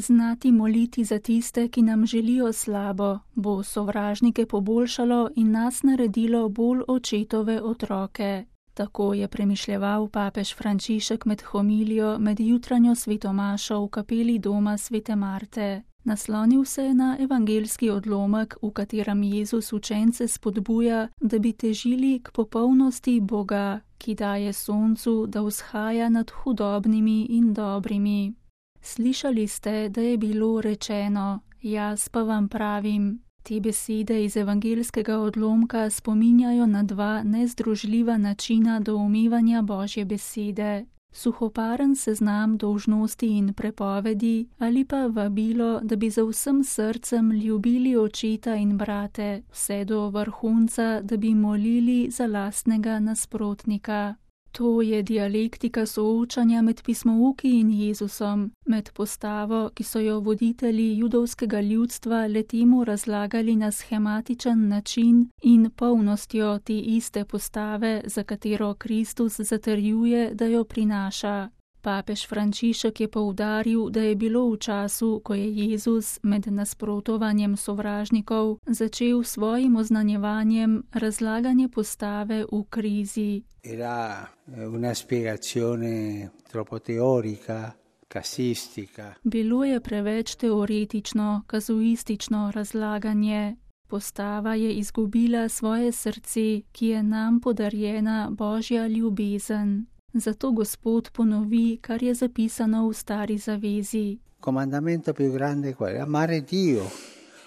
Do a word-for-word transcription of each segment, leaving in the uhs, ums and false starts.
Znati moliti za tiste, ki nam želijo slabo, bo sovražnike poboljšalo in nas naredilo bolj očetove otroke. Tako je premišljeval papež Frančišek med homilijo med jutranjo svetomašo v kapeli doma svete Marte. Naslonil se je na evangeljski odlomek, v katerem Jezus učence spodbuja, da bi težili k popolnosti Boga, ki daje soncu, da vzhaja nad hudobnimi in dobrimi. Slišali ste, da je bilo rečeno, jaz pa vam pravim. Te besede iz evangeljskega odlomka spominjajo na dva nezdružljiva načina doumevanja Božje besede. Suhoparen seznam dolžnosti in prepovedi ali pa vabilo, da bi za vsem srcem ljubili očeta in brate, vse do vrhunca, da bi molili za lastnega nasprotnika. To je dialektika soočanja med pismouki in Jezusom, med postavo, ki so jo voditelji judovskega ljudstva letemu razlagali na shematičen način, in polnostjo te iste postave, za katero Kristus zatrjuje, da jo prinaša. Papež Frančišek je poudaril, da je bilo v času, ko je Jezus med nasprotovanjem sovražnikov začel svojim oznanjevanjem razlaganje postave v krizi. Era una spiegazione troppo teorica, casistica. Bilo je preveč teoretično, kazuistično razlaganje. Postava je izgubila svoje srce, ki je nam podarjena Božja ljubezen. Zato Gospod ponovi, kar je zapisano v Stari zavezi. Comandamento più grande qual è? Amare Dio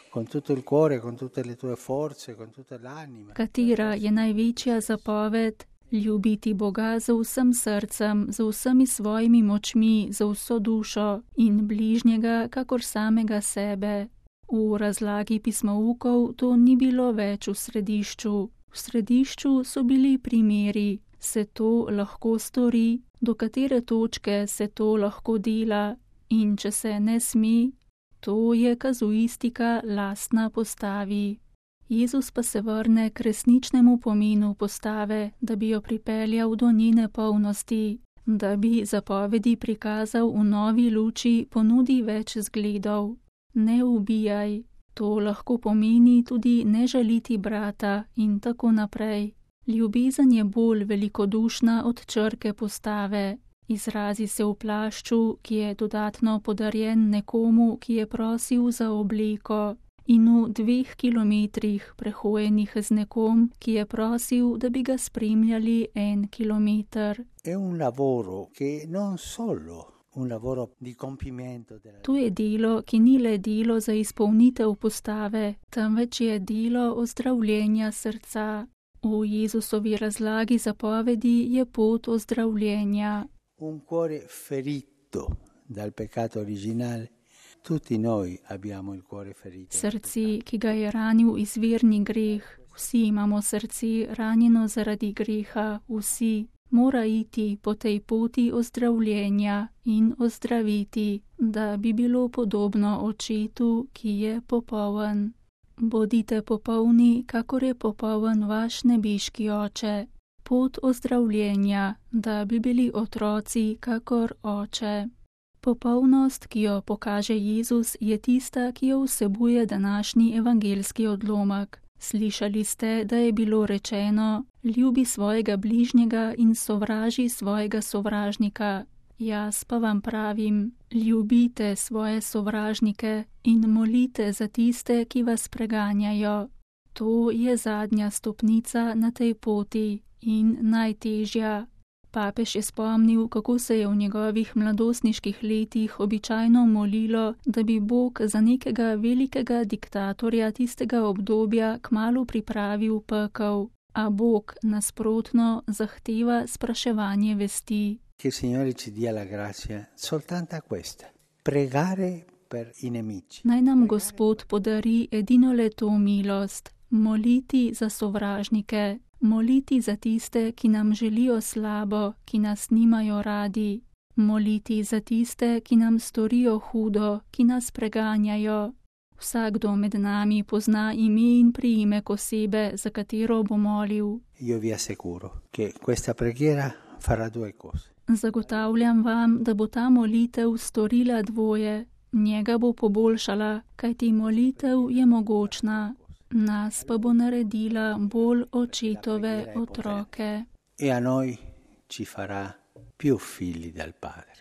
con tutto il cuore, con tutte le tue forze, con tutta l'anima. Katera je največja zapoved? Ljubiti Boga z vsem srcem, z vsemi svojimi močmi, z vso dušo in bližnjega kakor samega sebe. V razlagi pismoukov to ni bilo več v središču. V središču so bili primeri. Se to lahko stori, do katere točke se to lahko dela in če se ne sme, to je kazuistika lastna postavi. Jezus pa se vrne k resničnemu pomenu postave, da bi jo pripeljal do njene polnosti, da bi zapovedi prikazal v novi luči, ponudi več zgledov. Ne ubijaj, to lahko pomeni tudi ne žaliti brata in tako naprej. Ljubezen je bolj velikodušna od črke postave. Izrazi se v plašču, ki je dodatno podarjen nekomu, ki je prosil za obleko, in v dveh kilometrih prehojenih z nekom, ki je prosil, da bi ga spremljali en kilometer. È un lavoro che non solo un lavoro di compimento della... To je delo, ki ni le delo za izpolnitev postave, temveč je delo ozdravljenja srca. V Jezusovi razlagi zapovedi je pot ozdravljenja. Un cuore ferito dal peccato originale. Tutti noi abbiamo il cuore ferito. Srce, ki ga je ranil izvirni greh. Vsi imamo srce ranjeno zaradi greha, vsi. Mora iti po tej poti ozdravljenja in ozdraviti, da bi bilo podobno očetu, ki je popoln. Bodite popolni, kakor je popoln vaš nebeški oče. Pot ozdravljenja, da bi bili otroci, kakor oče. Popolnost, ki jo pokaže Jezus, je tista, ki jo vsebuje današnji evangeljski odlomek. Slišali ste, da je bilo rečeno, ljubi svojega bližnjega in sovraži svojega sovražnika. Jaz pa vam pravim, ljubite svoje sovražnike in molite za tiste, ki vas preganjajo. To je zadnja stopnica na tej poti in najtežja. Papež je spomnil, kako se je v njegovih mladostniških letih običajno molilo, da bi Bog za nekega velikega diktatorja tistega obdobja kmalu pripravil pekel, a Bog nasprotno zahteva spraševanje vesti. Che il Signore ci dia la grazia soltanto questa, pregare per i nemici. Naj nam Gospod podari edino le to milost, moliti za sovražnike, moliti za tiste, ki nam želijo slabo, ki nas nimajo radi, moliti za tiste, ki nam storijo hudo, ki nas preganjajo. Vsakdo med nami pozna ime in priimek osebe, za katero bo molil. Io vi assicuro che questa preghiera farà due cose. Zagotavljam vam, da bo ta molitev storila dvoje. Njega bo poboljšala, kajti molitev je mogočna, nas pa bo naredila bolj očetove otroke. E a noi ci farà più figli del Padre.